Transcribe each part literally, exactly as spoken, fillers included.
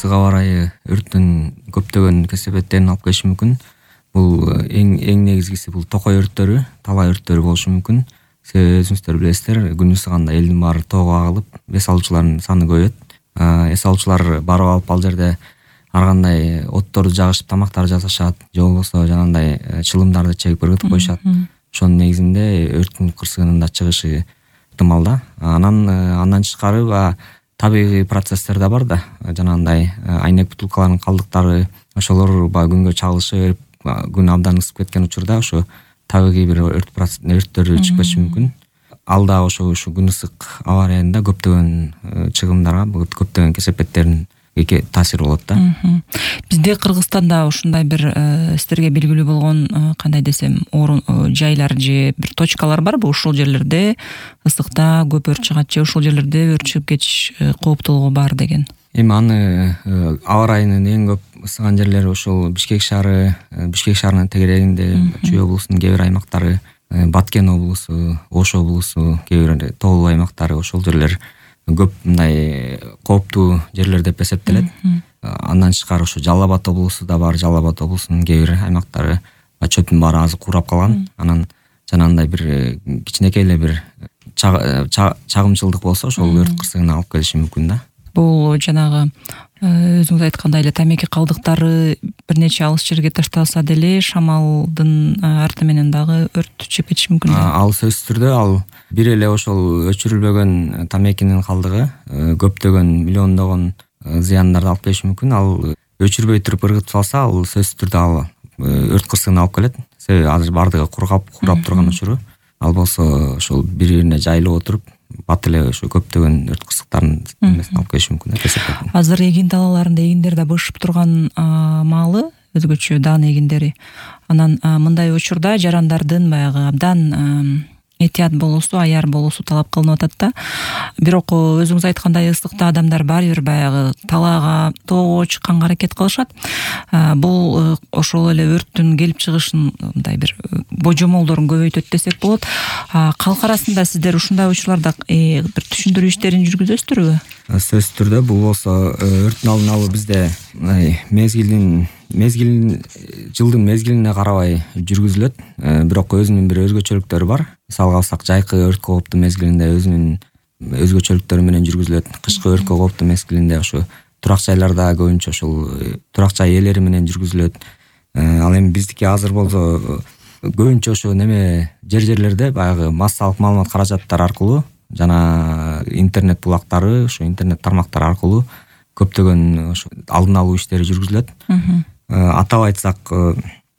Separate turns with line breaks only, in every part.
ысык аба ырайы өрттүн көптөгөн кесепеттерин алып келиши мүмкүн. Бул эң эң негизгиси бул токой өрттөрү, талаа өрттөрү болушу мүмкүн. Себеби өзүңүздөр билесиздер, күн ысыганда элдин баары тоого агылып, эс алуучулардын саны көбөйөт. Эс алуучулар барып алып ал жерде ар кандай отторду жагышып тамактар жасашат, же болбосо жанагындай чылымдарды чегип ыргытып коюшат. Ошонун негизинде өрттүн кырсыгынын да чыгышы ыктымал да. Анан андан тышкары баягы табигый процесстер да бар да. Жанагындай айнек бутулкаларынын калдыктары, ошолор баягы күнгө чагылышып, күн абдан ысып кеткен учурда ошо табигый бир өрт өрттөр чыгып кетиши мүмкүн. Ал да ошо ушу күн ысык аба ырайында көптөгөн чыгымдарга, көптөгөн кесепеттерин таасири болот да.
Бизде Кыргызстанда ушундай бир сиздерге белгилүү болгон кандай десем орун жайлар же бир точкалар барбы? Ушул жерлерде ысыкта көп өрт чыгат же ушул жерлерде өрт чыгып кетиш кооптуулугу бар деген.
Эми аны аба ырайынын эң көп ысыган жерлери ошол Бишкек шаары, Бишкек шаарынын тегерегинде, Чүй облусунун кээ бир аймактары, Баткен облусу, Ош облусу, кээ бир тоолуу аймактары, ошол жерлер көп мындай кооптуу жерлер деп эсептелет. Андан тышкары ошо Жалал Абад облусу да бар, Жалал Абад облусунун кээ бир аймактары чөптүн баары азы курап калган. Анан жанагындай бир кичинекей эле бир чагымчылдык болсо ошол өрт кырсыгына алып келиши мүмкүн да.
Бул жанагы өзүңүз айткандай эле тамеки калдыктары бир нече алыс жерге ташталса деле шамалдын арты менен дагы өрт чыгып кетиши мүмкүн.
Ал сөзсүз түрдө ал бир эле ошол өчүрүлбөгөн тамекинин калдыгы көптөгөн миллиондогон зыяндарды алып келиши мүмкүн. Ал өчүрбөй туруп ыргытып салса, ал сөзсүз түрдө ал өрт кырсыгына алып келет. Себеби азыр бардыгы кургап, курап турган учуру. Ал болсо ошол бири-бирине жайылып отуруп, бат эле ошо көптөгөн өрт кырсыктарын эмесин алып келиши мүмкүн.
Азыр эгин талааларында эгиндер да бышып турган маалы, өзгөчө даан эгиндери. Анан мындай учурда жарандардын баягы абдан этият болуусу, аяр болуусу талап кылынып атат да. Бирок өзүңүз айткандай ысыкта адамдар баары бир баягы талаага, тоого чыкканга аракет кылышат. Бул ошол эле өрттүн келип чыгышын мындай бир божомолдорун көбөйтөт десек болот. Калк арасында сиздер ушундай учурларда бир түшүндүрүү иштерин жүргүзөсүздөрбү?
Сөзсүз түрдө бул болсо өрттүн алдын алуу бизде мезгилин мезгилин жылдын мезгилине карабай жүргүзүлөт. Бирок өзүнүн бир өзгөчөлүктөрү бар. Мисалга алсак, жайкы өрт кооптуу мезгилинде өзүнүн өзгөчөлүктөрү менен жүргүзүлөт. Кышкы өрт кооптуу мезгилинде ошо турак жайларда көбүнчө ошол турак жай ээлери менен жүргүзүлөт. Ал эми биздики азыр болсо көбүнчө ошо неме жер-жерлерде баягы массалык маалымат каражаттары аркылуу жана интернет булактары, ошо интернет тармактары аркылуу көптөгөн ошо алдын алуу иштери жүргүзүлөт. Атап айтсак,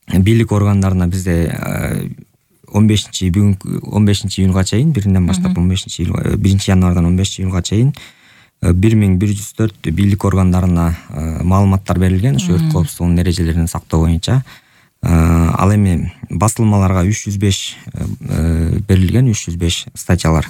бийлик органдарына бизде он бешинчи бүгүнкү он бешинчи июнга чейин, биринен баштап он бешинчи биринчи январдан он бешинчи июнга чейин бир миң бир жүз төрт бийлик органдарына маалыматтар берилген, ошо өрт коопсуздугунун эрежелерин сактоо боюнча. Ал эми басылмаларга үч жүз беш берилген, үч жүз беш статьялар.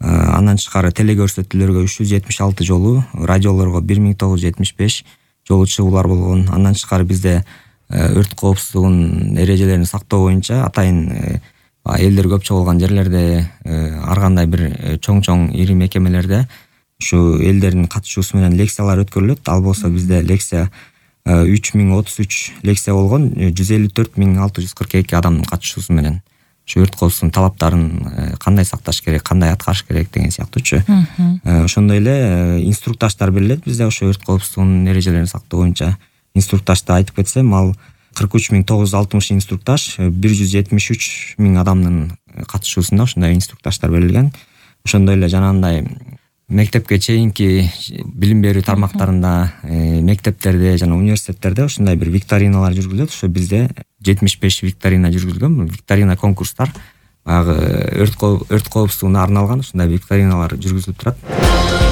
Андан тышкары телекөрсөтүүлөргө үч жүз жетимиш алты жолу, радиолорго бир миң тогуз жүз жетимиш беш жолу чыгуулар болгон. Андан тышкары бизде өрт коопсуздугунун эрежелерин сактоо боюнча атайын элдер көп чогулган жерлерде, ар кандай бир чоң-чоң ири мекемелерде ушу элдердин катышуусу менен лекциялар өткөрүлөт. Ал болсо бизде лекция үч миң отуз үч лекция болгон, жүз элүү төрт миң алты жүз кырк эки адамдын катышуусу менен ушу өрт коопсуздугунун талаптарын кандай сакташ керек, кандай аткарыш керек деген сыяктуучу. Ошондой эле инструктаждар берилет бизде ошо өрт коопсуздугунун эрежелерин сактоо боюнча. Инструктажды айтып кетсем, ал кырк үч миң тогуз жүз алтымыш инструктаж, бир жүз жетимиш үч миң адамдын катышуусунда ошондой инструктаждар берилген. Ошондой эле жанагындай мектепке чейинки билим берүү тармактарында, мектептерде жана университеттерде ушундай бир викториналар жүргүзүлөт. Ошо бизде жетимиш беш викторина жүргүзүлгөн. Викторина конкурстар баягы өрт өрт коопсуздугуна арналган ушундай викториналар жүргүзүлүп турат.